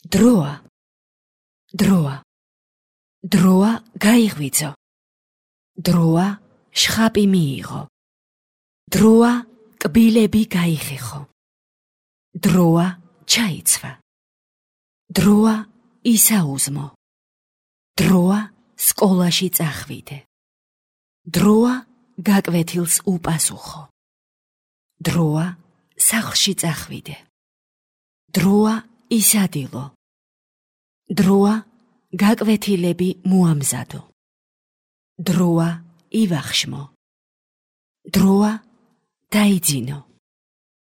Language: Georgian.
დროა, დროა, დროა გაიღვიძო, დროა შხაპი მიიღო, დროა კბილები გაიხეხო, დროა ჩაიცვა, დროა ისაუზმო, დროა სკოლაში წახვიდე, დროა გაკვეთილს უპასუხო, დროა სახლში წახვიდე, დროა ისადილო, დროა გაკვეთილები მოამზადო, დროა ივახშმო, დროა დაიძინო.